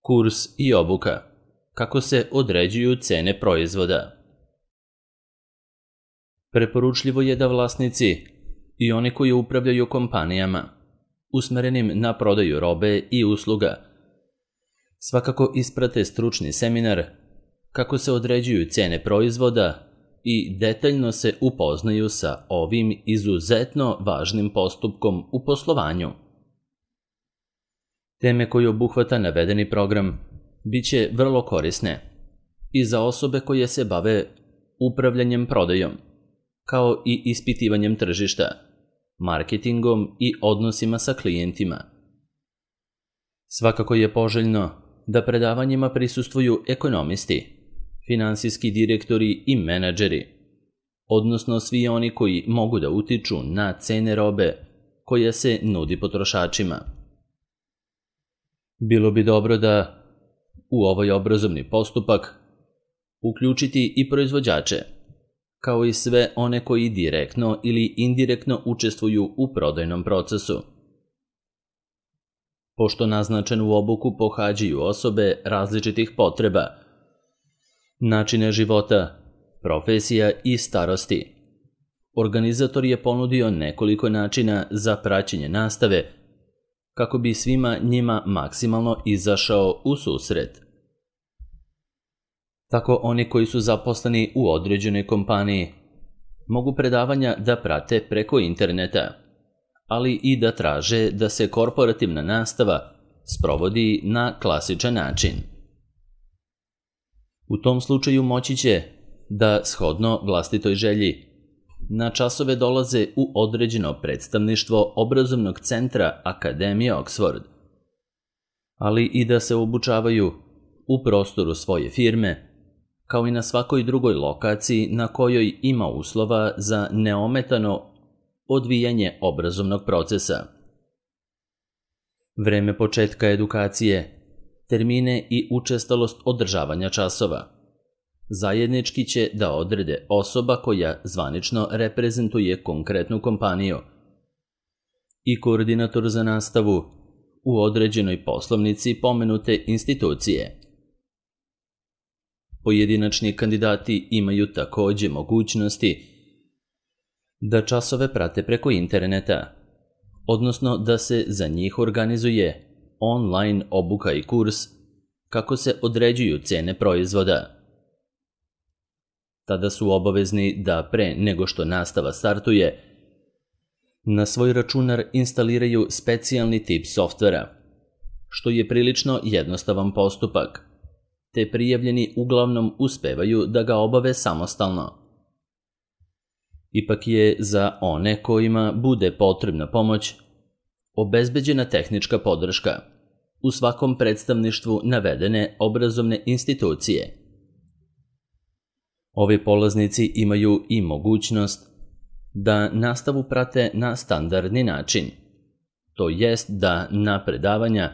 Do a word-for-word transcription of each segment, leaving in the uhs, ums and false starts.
kurs i obuka. Kako se određuju cene proizvoda? Preporučljivo je da vlasnici i oni koji upravljaju kompanijama usmerenim na prodaju robe i usluga svakako isprate stručni seminar kako se određuju cene proizvoda i detaljno se upoznaju sa ovim izuzetno važnim postupkom u poslovanju. Teme koje obuhvata navedeni program biće vrlo korisne i za osobe koje se bave upravljanjem prodajom, kao i ispitivanjem tržišta, marketingom i odnosima sa klijentima. Svakako je poželjno da predavanjima prisustvuju ekonomisti, finansijski direktori i menadžeri, odnosno svi oni koji mogu da utiču na cene robe koja se nudi potrošačima. Bilo bi dobro da u ovaj obrazovni postupak uključiti i proizvođače, kao i sve one koji direktno ili indirektno učestvuju u prodajnom procesu. Pošto naznačenu obuku pohađaju osobe različitih potreba, načina života, profesija i starosti, organizator je ponudio nekoliko načina za praćenje nastave kako bi svima njima maksimalno izašao u susret. Tako oni koji su zaposleni u određenoj kompaniji mogu predavanja da prate preko interneta, ali i da traže da se korporativna nastava sprovodi na klasičan način. U tom slučaju moći će da, shodno vlastitoj želji, na časove dolaze u određeno predstavništvo obrazovnog centra Akademije Oxford, ali i da se obučavaju u prostoru svoje firme, kao i na svakoj drugoj lokaciji na kojoj ima uslova za neometano odvijanje obrazovnog procesa. Vreme početka edukacije, termine i učestalost održavanja časova zajednički će da odrede osoba koja zvanično reprezentuje konkretnu kompaniju i koordinator za nastavu u određenoj poslovnici pomenute institucije. Pojedinačni kandidati imaju takođe mogućnosti da časove prate preko interneta, odnosno da se za njih organizuje online obuka i kurs kako se određuju cene proizvoda. Tada su obavezni da pre nego što nastava startuje, na svoj računar instaliraju specijalni tip softvera, što je prilično jednostavan postupak, te prijavljeni uglavnom uspevaju da ga obave samostalno. Ipak je za one kojima bude potrebna pomoć obezbeđena tehnička podrška u svakom predstavništvu navedene obrazovne institucije. Ovi polaznici imaju i mogućnost da nastavu prate na standardni način, to jest da na predavanja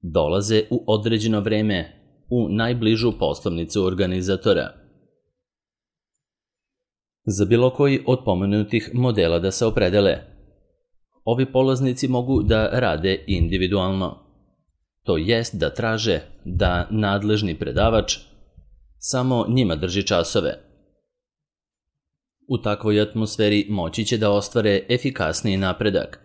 dolaze u određeno vreme u najbližu poslovnicu organizatora. Za bilo koji od pomenutih modela da se opredele, ovi polaznici mogu da rade individualno, to jest da traže da nadležni predavač samo njima drži časove. U takvoj atmosferi moći će da ostvare efikasniji napredak,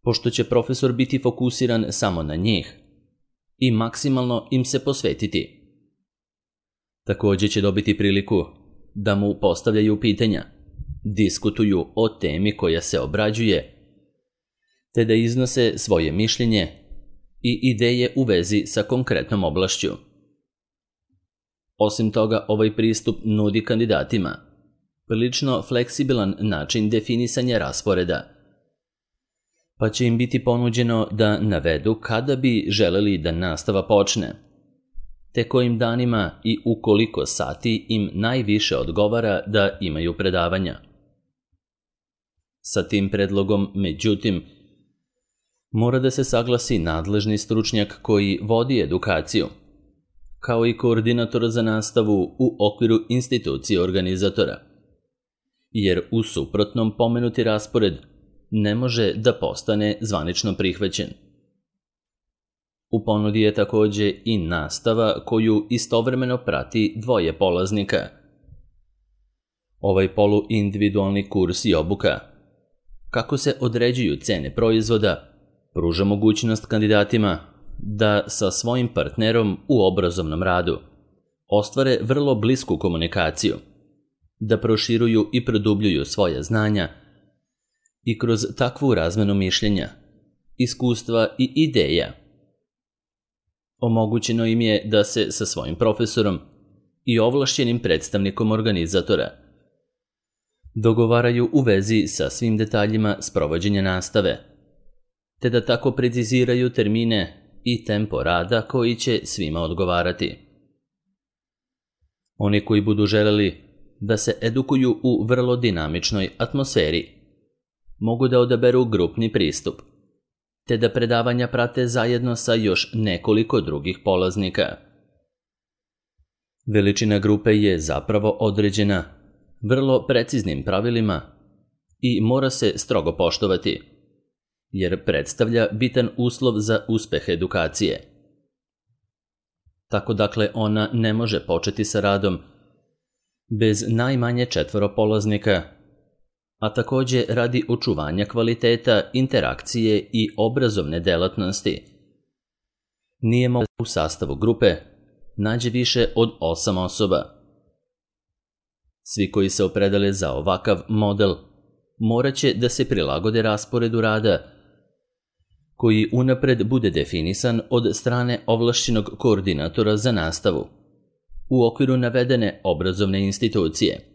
pošto će profesor biti fokusiran samo na njih i maksimalno im se posvetiti. Takođe će dobiti priliku da mu postavljaju pitanja, diskutuju o temi koja se obrađuje, te da iznose svoje mišljenje i ideje u vezi sa konkretnom oblašću. Osim toga, ovaj pristup nudi kandidatima prilično fleksibilan način definisanja rasporeda, pa će im biti ponuđeno da navedu kada bi želeli da nastava počne, te kojim danima i u koliko sati im najviše odgovara da imaju predavanja. Sa tim predlogom, međutim, mora da se saglasi nadležni stručnjak koji vodi edukaciju, kao i koordinator za nastavu u okviru institucije organizatora, jer u suprotnom pomenuti raspored ne može da postane zvanično prihvaćen. U ponudi je takođe i nastava koju istovremeno prati dvoje polaznika. Ovaj poluindividualni kurs i obuka, kako se određuju cene proizvoda, pruža mogućnost kandidatima da sa svojim partnerom u obrazovnom radu ostvare vrlo blisku komunikaciju, da proširuju i produbljuju svoja znanja i kroz takvu razmenu mišljenja, iskustva i ideja omogućeno im je da se sa svojim profesorom i ovlašćenim predstavnikom organizatora dogovaraju u vezi sa svim detaljima sprovođenja nastave, te da tako preciziraju termine i tempo rada koji će svima odgovarati. Oni koji budu želeli da se edukuju u vrlo dinamičnoj atmosferi mogu da odaberu grupni pristup, te da predavanja prate zajedno sa još nekoliko drugih polaznika. Veličina grupe je zapravo određena vrlo preciznim pravilima i mora se strogo poštovati, jer predstavlja bitan uslov za uspeh edukacije. Tako dakle ona ne može početi sa radom bez najmanje četvoro polaznika, a takođe radi očuvanja kvaliteta interakcije i obrazovne delatnosti. Nije moguće u sastavu grupe nađe više od osam osoba. Svi koji se opredele za ovakav model morat će da se prilagode rasporedu rada, koji unapred bude definisan od strane ovlašćenog koordinatora za nastavu u okviru navedene obrazovne institucije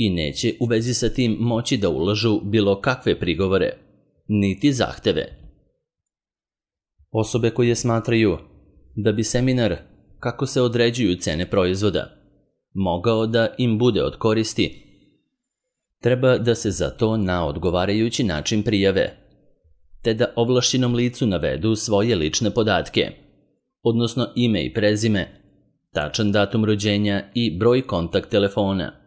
i neće u vezi sa tim moći da ulažu bilo kakve prigovore, niti zahteve. Osobe koje smatraju da bi seminar kako se određuju cene proizvoda mogao da im bude od koristi, treba da se za to na odgovarajući način prijave, te da ovlašćenom licu navedu svoje lične podatke, odnosno ime i prezime, tačan datum rođenja i broj kontakt telefona.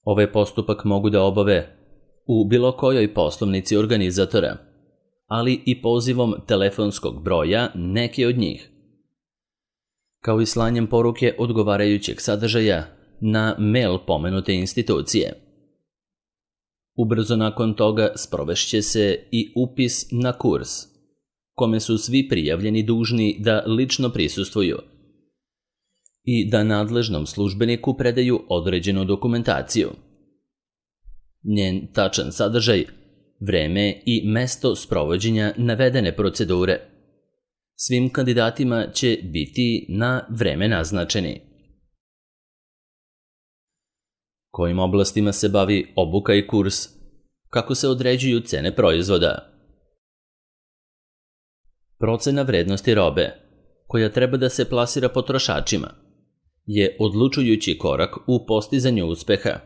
Ovaj postupak mogu da obave u bilo kojoj poslovnici organizatora, ali i pozivom telefonskog broja neke od njih, kao i slanjem poruke odgovarajućeg sadržaja na mail pomenute institucije. Ubrzo nakon toga sprovešće se i upis na kurs, kome su svi prijavljeni dužni da lično prisustvuju i da nadležnom službeniku predaju određenu dokumentaciju. Njen tačan sadržaj, vreme i mesto sprovođenja navedene procedure svim kandidatima će biti na vreme naznačeni. Kojim oblastima se bavi obuka i kurs, kako se određuju cene proizvoda. Procena vrednosti robe, koja treba da se plasira potrošačima, je odlučujući korak u postizanju uspeha,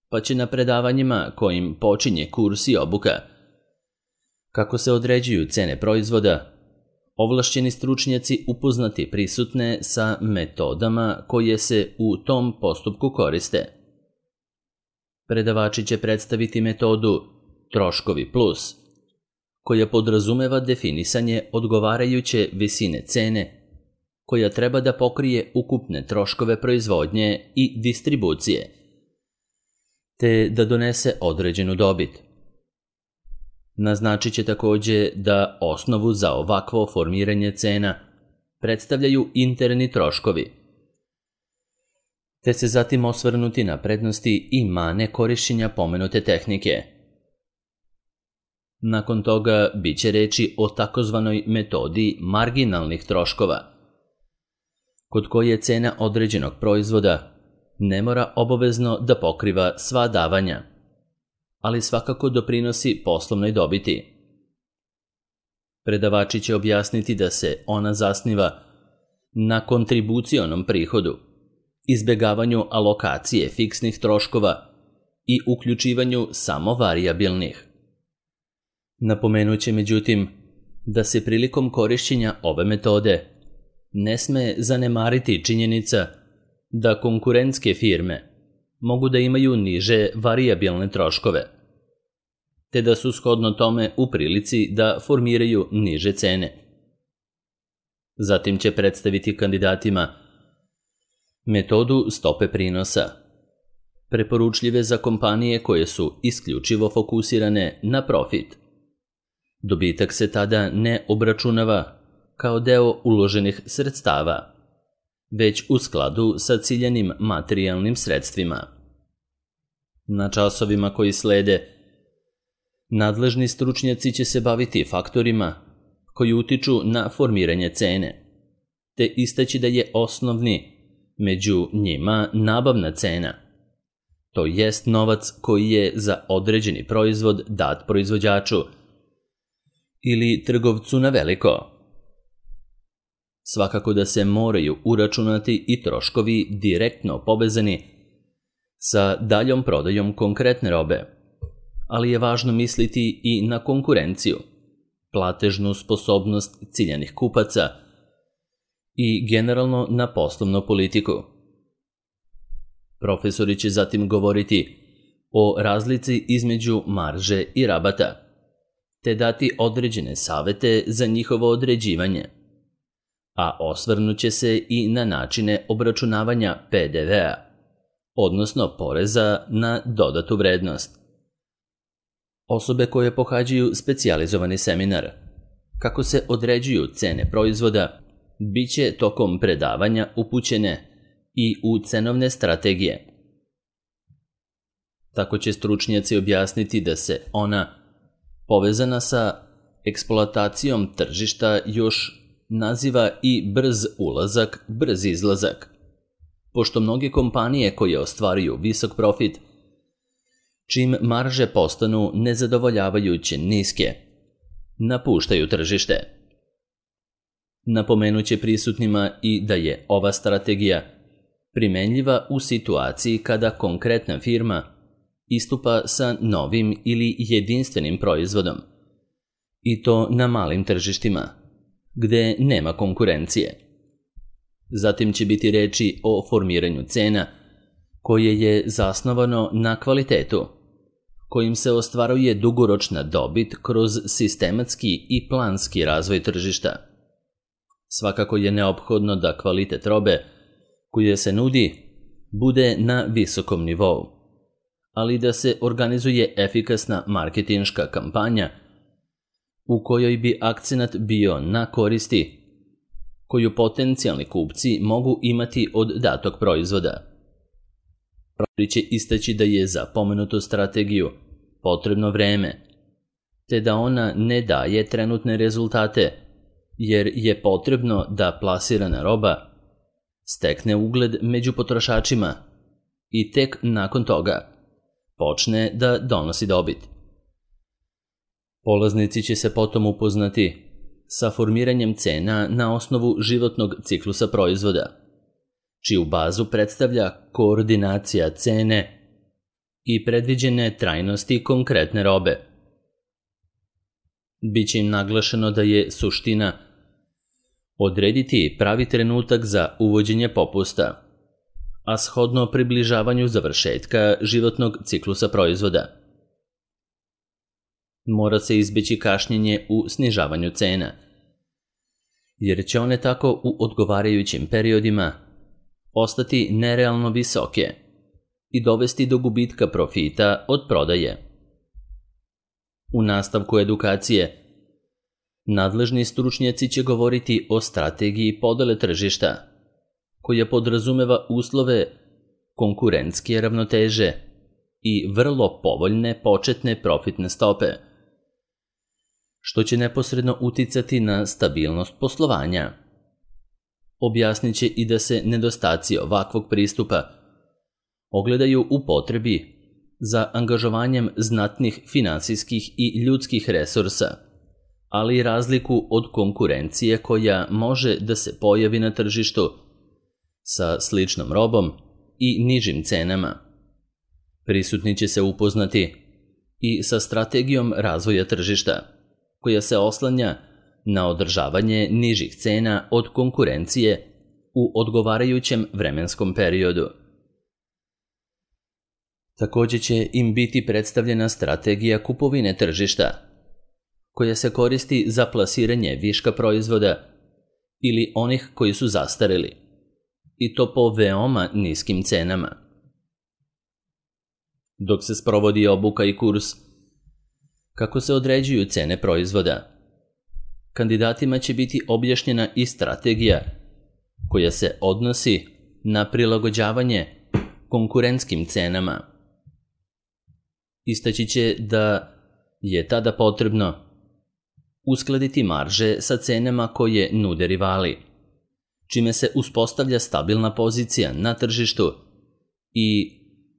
pa će na predavanjima kojim počinje kurs i obuka, kako se određuju cene proizvoda, ovlašćeni stručnjaci upoznati prisutne sa metodama koje se u tom postupku koriste. Predavači će predstaviti metodu troškovi plus, koja podrazumeva definisanje odgovarajuće visine cene, koja treba da pokrije ukupne troškove proizvodnje i distribucije, te da donese određenu dobit. Naznačit će takođe da osnovu za ovakvo formiranje cena predstavljaju interni troškovi, te se zatim osvrnuti na prednosti i mane korišćenja pomenute tehnike. Nakon toga bit će reči o takozvanoj metodi marginalnih troškova, kod koje cena određenog proizvoda ne mora obavezno da pokriva sva davanja, ali svakako doprinosi poslovnoj dobiti. Predavači će objasniti da se ona zasniva na kontribucionom prihodu, izbegavanju alokacije fiksnih troškova i uključivanju samo varijabilnih. Napomenut će međutim da se prilikom korišćenja ove metode ne sme zanemariti činjenica da konkurentske firme mogu da imaju niže varijabilne troškove. te da su shodno tome u prilici da formiraju niže cene. Zatim će predstaviti kandidatima metodu stope prinosa, preporučljive za kompanije koje su isključivo fokusirane na profit. Dobitak se tada ne obračunava kao deo uloženih sredstava, već u skladu sa ciljanim materijalnim sredstvima. Na časovima koji slede, nadležni stručnjaci će se baviti faktorima koji utiču na formiranje cene, te istaći da je osnovni među njima nabavna cena, to jest novac koji je za određeni proizvod dat proizvođaču ili trgovcu na veliko. Svakako da se moraju uračunati i troškovi direktno povezani sa daljom prodajom konkretne robe, ali je važno misliti i na konkurenciju, platežnu sposobnost ciljanih kupaca i generalno na poslovnu politiku. Profesori će zatim govoriti o razlici između marže i rabata, te dati određene savete za njihovo određivanje, a osvrnut će se i na načine obračunavanja P D V-a, odnosno poreza na dodatu vrednost. Osobe koje pohađaju specijalizovani seminar, kako se određuju cene proizvoda, bit će tokom predavanja upućene i u cenovne strategije. Tako će stručnjaci objasniti da se ona, povezana sa eksploatacijom tržišta, još naziva i brz ulazak, brz izlazak, pošto mnoge kompanije koje ostvaruju visok profit, čim marže postanu nezadovoljavajuće niske, napuštaju tržište. Napomenuće prisutnima i da je ova strategija primenljiva u situaciji kada konkretna firma istupa sa novim ili jedinstvenim proizvodom, i to na malim tržištima, gde nema konkurencije. Zatim će biti reči o formiranju cena, koje je zasnovano na kvalitetu, kojim se ostvaruje dugoročna dobit kroz sistematski i planski razvoj tržišta. Svakako je neophodno da kvalitet robe koja se nudi bude na visokom nivou, ali da se organizuje efikasna marketinška kampanja u kojoj bi akcenat bio na koristi koju potencijalni kupci mogu imati od datog proizvoda. Profesori će istaći da je za pomenutu strategiju potrebno vreme, te da ona ne daje trenutne rezultate, jer je potrebno da plasirana roba stekne ugled među potrošačima i tek nakon toga počne da donosi dobit. Polaznici će se potom upoznati sa formiranjem cena na osnovu životnog ciklusa proizvoda, čiju bazu predstavlja koordinacija cene i predviđene trajnosti konkretne robe. Biće im naglašeno da je suština odrediti pravi trenutak za uvođenje popusta, a shodno približavanju završetka životnog ciklusa proizvoda. Mora se izbeći kašnjenje u snižavanju cena, jer će one tako u odgovarajućim periodima ostati nerealno visoke i dovesti do gubitka profita od prodaje. U nastavku edukacije, nadležni stručnjaci će govoriti o strategiji podele tržišta, koja podrazumeva uslove konkurentske ravnoteže i vrlo povoljne početne profitne stope, što će neposredno uticati na stabilnost poslovanja. Objasnit će i da se nedostaci ovakvog pristupa ogledaju u potrebi za angažovanjem znatnih finansijskih i ljudskih resursa, ali i razliku od konkurencije koja može da se pojavi na tržištu sa sličnom robom i nižim cenama. Prisutni će se upoznati i sa strategijom razvoja tržišta, koja se oslanja na održavanje nižih cena od konkurencije u odgovarajućem vremenskom periodu. Također će im biti predstavljena strategija kupovine tržišta, koja se koristi za plasiranje viška proizvoda ili onih koji su zastareli, i to po veoma niskim cenama. Dok se sprovodi obuka i kurs kako se određuju cene proizvoda, kandidatima će biti objašnjena i strategija koja se odnosi na prilagođavanje konkurentskim cenama. Istaći će da je tada potrebno uskladiti marže sa cenama koje nude rivali, čime se uspostavlja stabilna pozicija na tržištu i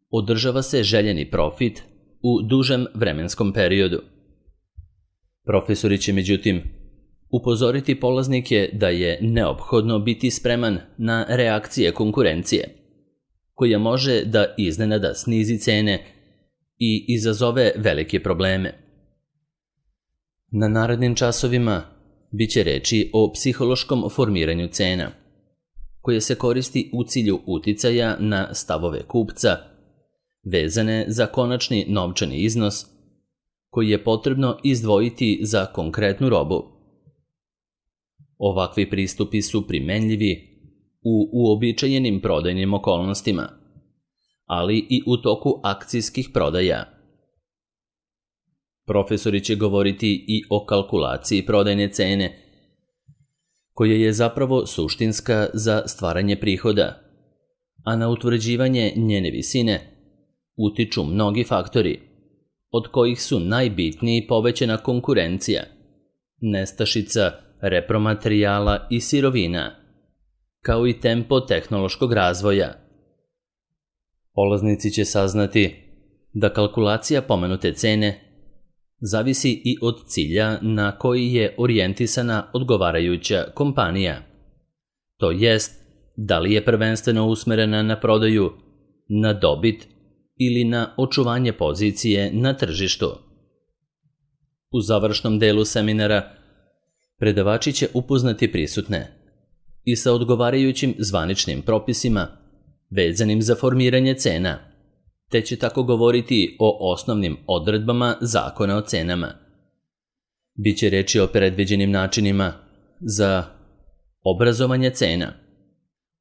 održava se željeni profit u dužem vremenskom periodu. Profesori će međutim upozoriti polaznike da je neophodno biti spreman na reakcije konkurencije, koja može da iznenada snizi cene i izazove velike probleme. Na narednim časovima bit će reči o psihološkom formiranju cena, koje se koristi u cilju uticaja na stavove kupca, vezane za konačni novčani iznos koji je potrebno izdvojiti za konkretnu robu. Ovakvi pristupi su primenljivi u uobičajenim prodajnim okolnostima, ali i u toku akcijskih prodaja. Profesori će govoriti i o kalkulaciji prodajne cene, koja je zapravo suštinska za stvaranje prihoda, a na utvrđivanje njene visine utiču mnogi faktori, od kojih su najbitniji povećana konkurencija, nestašica repromaterijala i sirovina, kao i tempo tehnološkog razvoja. Polaznici će saznati da kalkulacija pomenute cene zavisi i od cilja na koji je orijentisana odgovarajuća kompanija. To jest, da li je prvenstveno usmerena na prodaju, na dobit ili na očuvanje pozicije na tržištu. U završnom delu seminara predavači će upoznati prisutne i sa odgovarajućim zvaničnim propisima vezanim za formiranje cena, te će tako govoriti o osnovnim odredbama zakona o cenama. Biće reči o predviđenim načinima za obrazovanje cena,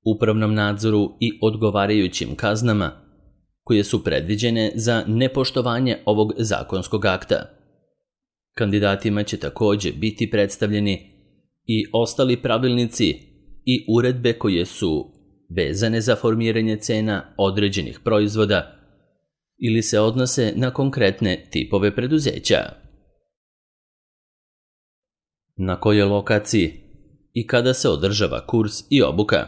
upravnom nadzoru i odgovarajućim kaznama koje su predviđene za nepoštovanje ovog zakonskog akta. Kandidatima će također biti predstavljeni i ostali pravilnici i uredbe koje su vezane za formiranje cena određenih proizvoda ili se odnose na konkretne tipove preduzeća. Na kojoj lokaciji i kada se održava kurs i obuka,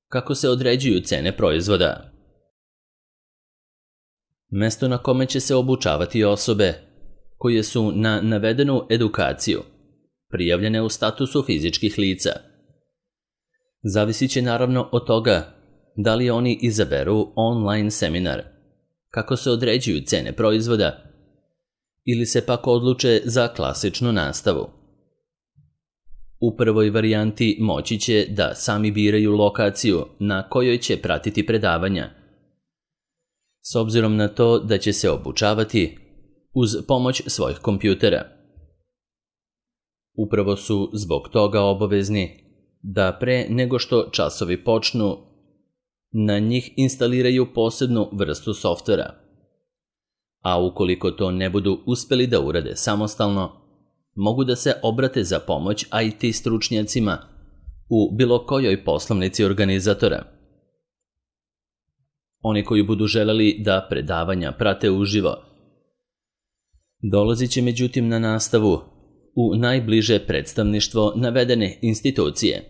kako se određuju cene proizvoda. Mesto na kome će se obučavati osobe koje su na navedenu edukaciju prijavljene u statusu fizičkih lica. Zavisit će naravno od toga da li oni izaberu online seminar, kako se određuju cene proizvoda, ili se pak odluče za klasičnu nastavu. U prvoj varijanti moći će da sami biraju lokaciju na kojoj će pratiti predavanja, s obzirom na to da će se obučavati uz pomoć svojih kompjutera. Upravo su zbog toga obavezni da pre nego što časovi počnu, na njih instaliraju posebnu vrstu softvera, a ukoliko to ne budu uspeli da urade samostalno, mogu da se obrate za pomoć I T stručnjacima u bilo kojoj poslovnici organizatora. Oni koji budu želeli da predavanja prate uživo, dolazit će međutim na nastavu u najbliže predstavništvo navedene institucije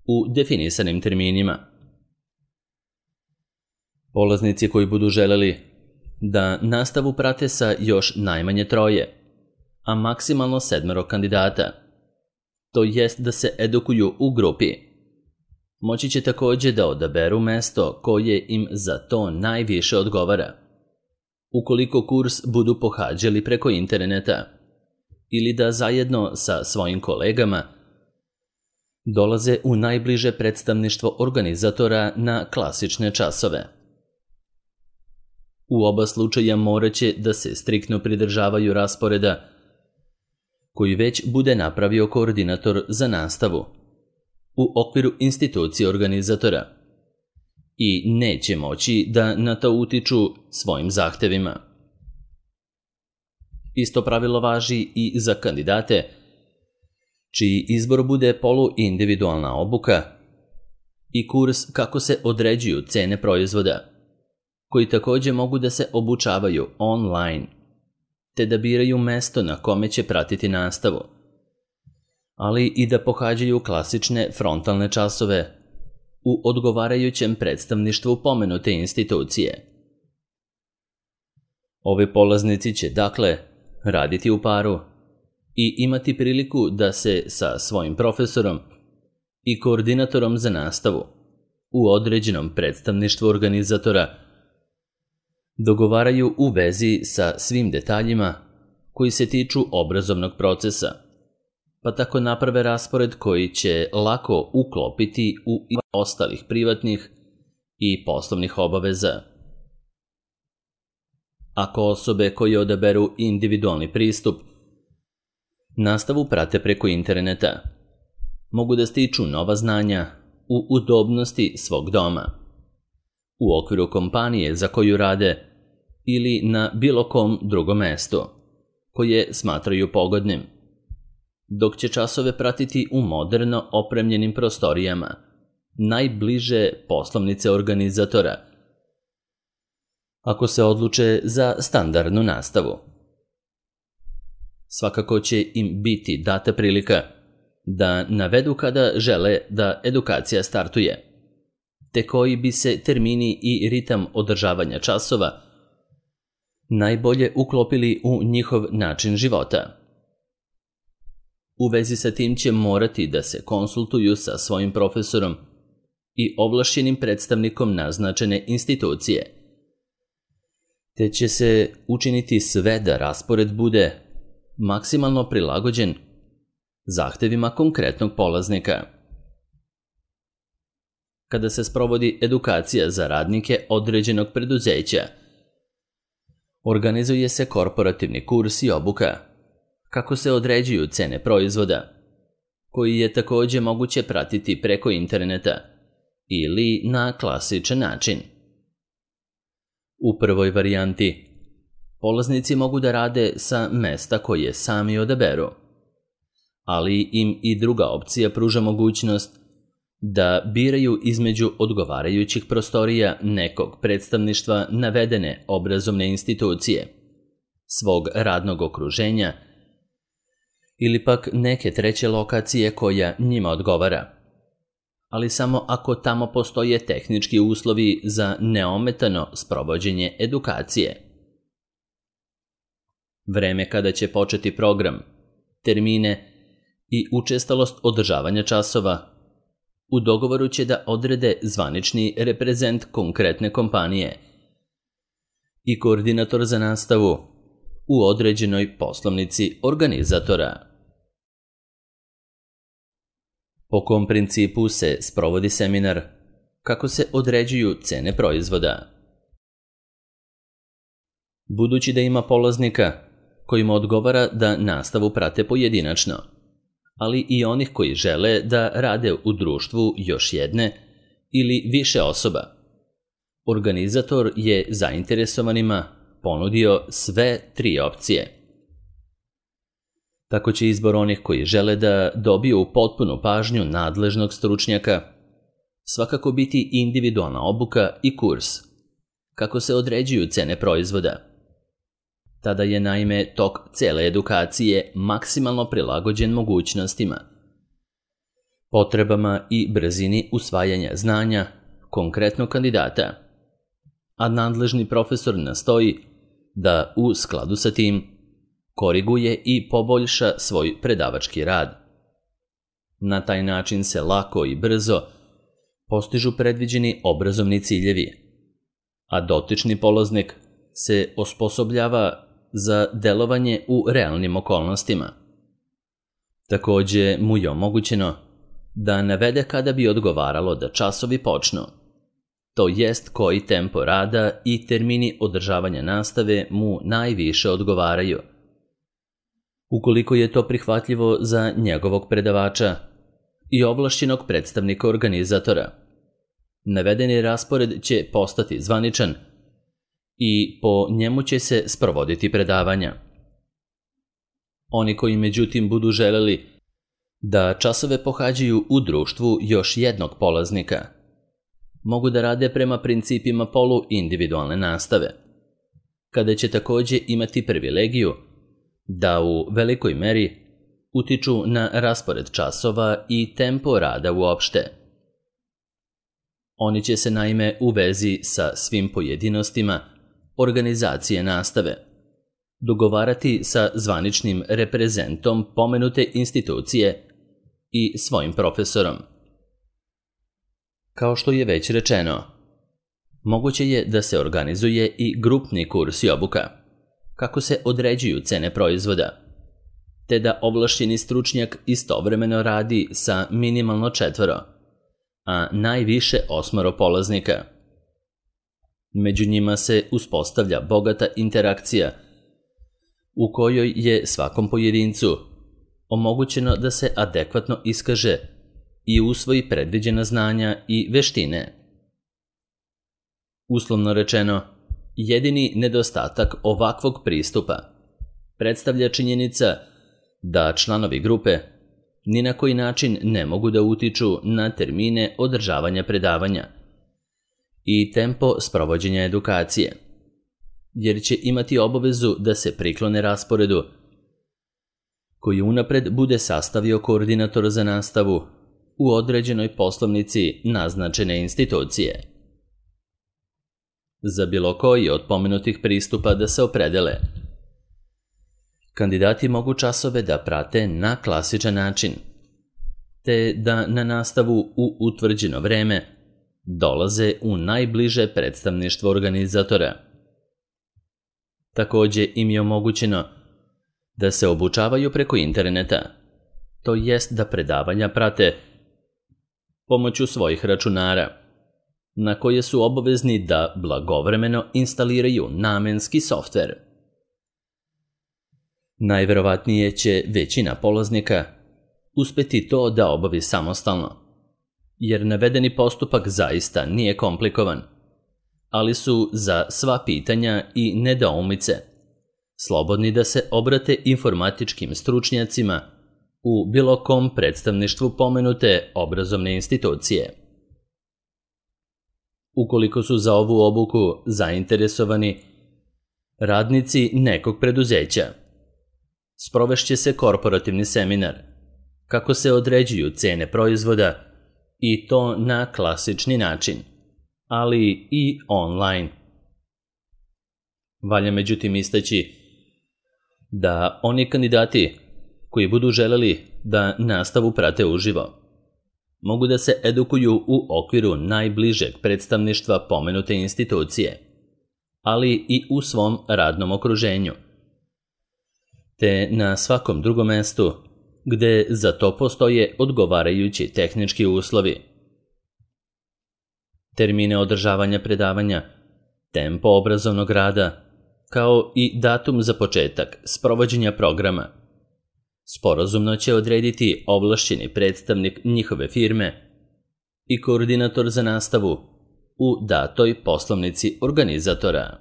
u definisanim terminima. Polaznici koji budu želeli da nastavu prate sa još najmanje troje, a maksimalno sedmero kandidata, to jest da se edukuju u grupi, moći će također da odaberu mesto koje im za to najviše odgovara, ukoliko kurs budu pohađali preko interneta, ili da zajedno sa svojim kolegama dolaze u najbliže predstavništvo organizatora na klasične časove. U oba slučaja moraće da se striktno pridržavaju rasporeda koji već bude napravio koordinator za nastavu u okviru institucije organizatora i neće moći da na to utiču svojim zahtevima. Isto pravilo važi i za kandidate čiji izbor bude poluindividualna obuka i kurs kako se određuju cene proizvoda, koji također mogu da se obučavaju online, te da biraju mesto na kome će pratiti nastavu, ali i da pohađaju klasične frontalne časove u odgovarajućem predstavništvu pomenute institucije. Ovi polaznici će, dakle, raditi u paru i imati priliku da se sa svojim profesorom i koordinatorom za nastavu u određenom predstavništvu organizatora dogovaraju u vezi sa svim detaljima koji se tiču obrazovnog procesa, pa tako naprave raspored koji će lako uklopiti u ostalih privatnih i poslovnih obaveza. Ako osobe koje odaberu individualni pristup nastavu prate preko interneta, mogu da stiču nova znanja u udobnosti svog doma, u okviru kompanije za koju rade ili na bilo kom drugom mestu koje smatraju pogodnim, dok će časove pratiti u moderno opremljenim prostorijama najbliže poslovnice organizatora, ako se odluče za standardnu nastavu. Svakako će im biti data prilika da navedu kada žele da edukacija startuje, te koji bi se termini i ritam održavanja časova najbolje uklopili u njihov način života. U vezi sa tim će morati da se konsultuju sa svojim profesorom i ovlašćenim predstavnikom naznačene institucije, te će se učiniti sve da raspored bude maksimalno prilagođen zahtevima konkretnog polaznika. Kada se sprovodi edukacija za radnike određenog preduzeća, organizuje se korporativni kurs i obuka, kako se određuju cene proizvoda, koji je također moguće pratiti preko interneta ili na klasičan način. U prvoj varijanti, polaznici mogu da rade sa mesta koje sami odaberu, ali im i druga opcija pruža mogućnost da biraju između odgovarajućih prostorija nekog predstavništva navedene obrazovne institucije, svog radnog okruženja ili pak neke treće lokacije koja njima odgovara, ali samo ako tamo postoje tehnički uslovi za neometano sprovođenje edukacije. Vreme kada će početi program, termine i učestalost održavanja časova u dogovoru će da odrede zvanični reprezent konkretne kompanije i koordinator za nastavu u određenoj poslovnici organizatora. Po kom principu se sprovodi seminar, kako se određuju cene proizvoda. Budući da ima polaznika kojima odgovara da nastavu prate pojedinačno, ali i onih koji žele da rade u društvu još jedne ili više osoba, organizator je zainteresovanima ponudio sve tri opcije. Tako će izbor onih koji žele da dobiju potpunu pažnju nadležnog stručnjaka svakako biti individualna obuka i kurs, kako se određuju cene proizvoda. Tada je naime tok cele edukacije maksimalno prilagođen mogućnostima, potrebama i brzini usvajanja znanja konkretnog kandidata, a nadležni profesor nastoji da u skladu sa tim koriguje i poboljša svoj predavački rad. Na taj način se lako i brzo postižu predviđeni obrazovni ciljevi, a dotični polaznik se osposobljava za delovanje u realnim okolnostima. Također mu je omogućeno da navede kada bi odgovaralo da časovi počnu, to jest koji tempo rada i termini održavanja nastave mu najviše odgovaraju. Ukoliko je to prihvatljivo za njegovog predavača i ovlašćenog predstavnika organizatora, navedeni raspored će postati zvaničan i po njemu će se sprovoditi predavanja. Oni koji međutim budu želeli da časove pohađaju u društvu još jednog polaznika, mogu da rade prema principima polu-individualne nastave, kada će takođe imati privilegiju da u velikoj meri utiču na raspored časova i tempo rada uopšte. Oni će se naime u vezi sa svim pojedinostima organizacije nastave dogovarati sa zvaničnim reprezentom pomenute institucije i svojim profesorom. Kao što je već rečeno, moguće je da se organizuje i grupni kurs i obuka, kako se određuju cene proizvoda, te da ovlašćeni stručnjak istovremeno radi sa minimalno četvoro, a najviše osmoro polaznika. Među njima se uspostavlja bogata interakcija u kojoj je svakom pojedincu omogućeno da se adekvatno iskaže i usvoji predviđena znanja i veštine. Uslovno rečeno, jedini nedostatak ovakvog pristupa predstavlja činjenica da članovi grupe ni na koji način ne mogu da utiču na termine održavanja predavanja i tempo sprovođenja edukacije, jer će imati obavezu da se priklone rasporedu koji unapred bude sastavio koordinator za nastavu u određenoj poslovnici naznačene institucije. Za bilo koji od pomenutih pristupa da se opredele, kandidati mogu časove da prate na klasičan način, te da na nastavu u utvrđeno vreme dolaze u najbliže predstavništvo organizatora. Takođe im je omogućeno da se obučavaju preko interneta, to jest da predavanja prate pomoću svojih računara, na koje su obavezni da blagovremeno instaliraju namenski softver. Najverovatnije će većina polaznika uspeti to da obavi samostalno, jer navedeni postupak zaista nije komplikovan, ali su za sva pitanja i nedoumice slobodni da se obrate informatičkim stručnjacima u bilo kom predstavništvu pomenute obrazovne institucije. Ukoliko su za ovu obuku zainteresovani radnici nekog preduzeća, sprovešće se korporativni seminar, kako se određuju cene proizvoda i to na klasični način, ali i online. Valja međutim istaći da oni kandidati koji budu želeli da nastavu prate uživo, mogu da se edukuju u okviru najbližeg predstavništva pomenute institucije, ali i u svom radnom okruženju, te na svakom drugom mestu gde za to postoje odgovarajući tehnički uslovi. Termine održavanja predavanja, tempo obrazovnog rada, kao i datum za početak sprovođenja programa, sporazumno će odrediti ovlašćeni predstavnik njihove firme i koordinator za nastavu u datoj poslovnici organizatora.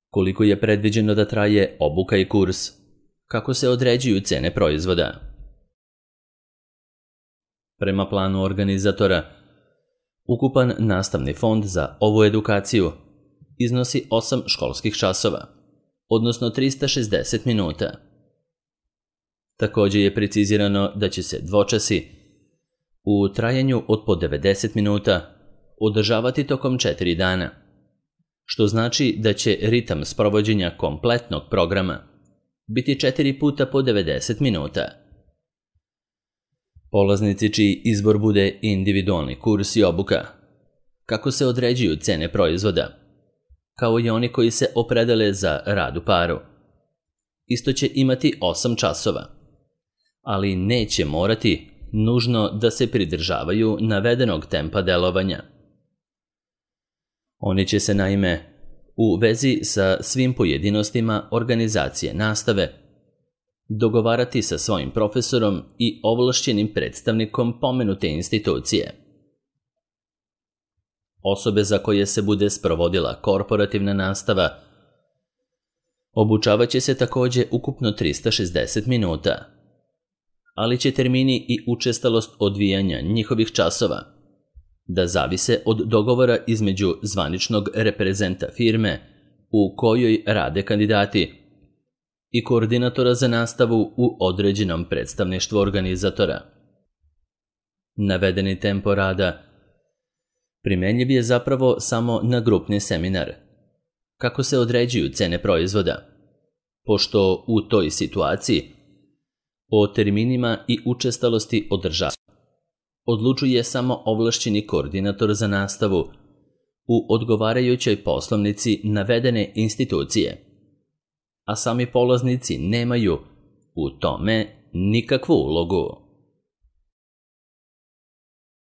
Koliko je predviđeno da traje obuka i kurs? Kako se određuju cene proizvoda? Prema planu organizatora, ukupan nastavni fond za ovu edukaciju iznosi osam školskih časova, odnosno trista šezdeset minuta. Takođe je precizirano da će se dvočasi u trajanju od po devedeset minuta održavati tokom četiri dana, što znači da će ritam sprovođenja kompletnog programa biti četiri puta po devedeset minuta. Polaznici čiji izbor bude individualni kurs i obuka, kako se određuju cene proizvoda, kao i oni koji se opredele za rad u paru, isto će imati osam časova, ali neće morati nužno da se pridržavaju navedenog tempa delovanja. Oni će se naime u vezi sa svim pojedinostima organizacije nastave dogovarati sa svojim profesorom i ovlašćenim predstavnikom pomenute institucije. Osobe za koje se bude sprovodila korporativna nastava obučavaće se također ukupno trista šezdeset minuta, ali će termini i učestalost odvijanja njihovih časova da zavise od dogovora između zvaničnog reprezenta firme u kojoj rade kandidati i koordinatora za nastavu u određenom predstavništvu organizatora. Navedeni tempo rada primenjiv je zapravo samo na grupni seminar. Kako se određuju cene proizvoda? Pošto u toj situaciji o terminima i učestalosti održavanja odlučuje samo ovlašćeni koordinator za nastavu u odgovarajućoj poslovnici navedene institucije, a sami polaznici nemaju u tome nikakvu ulogu.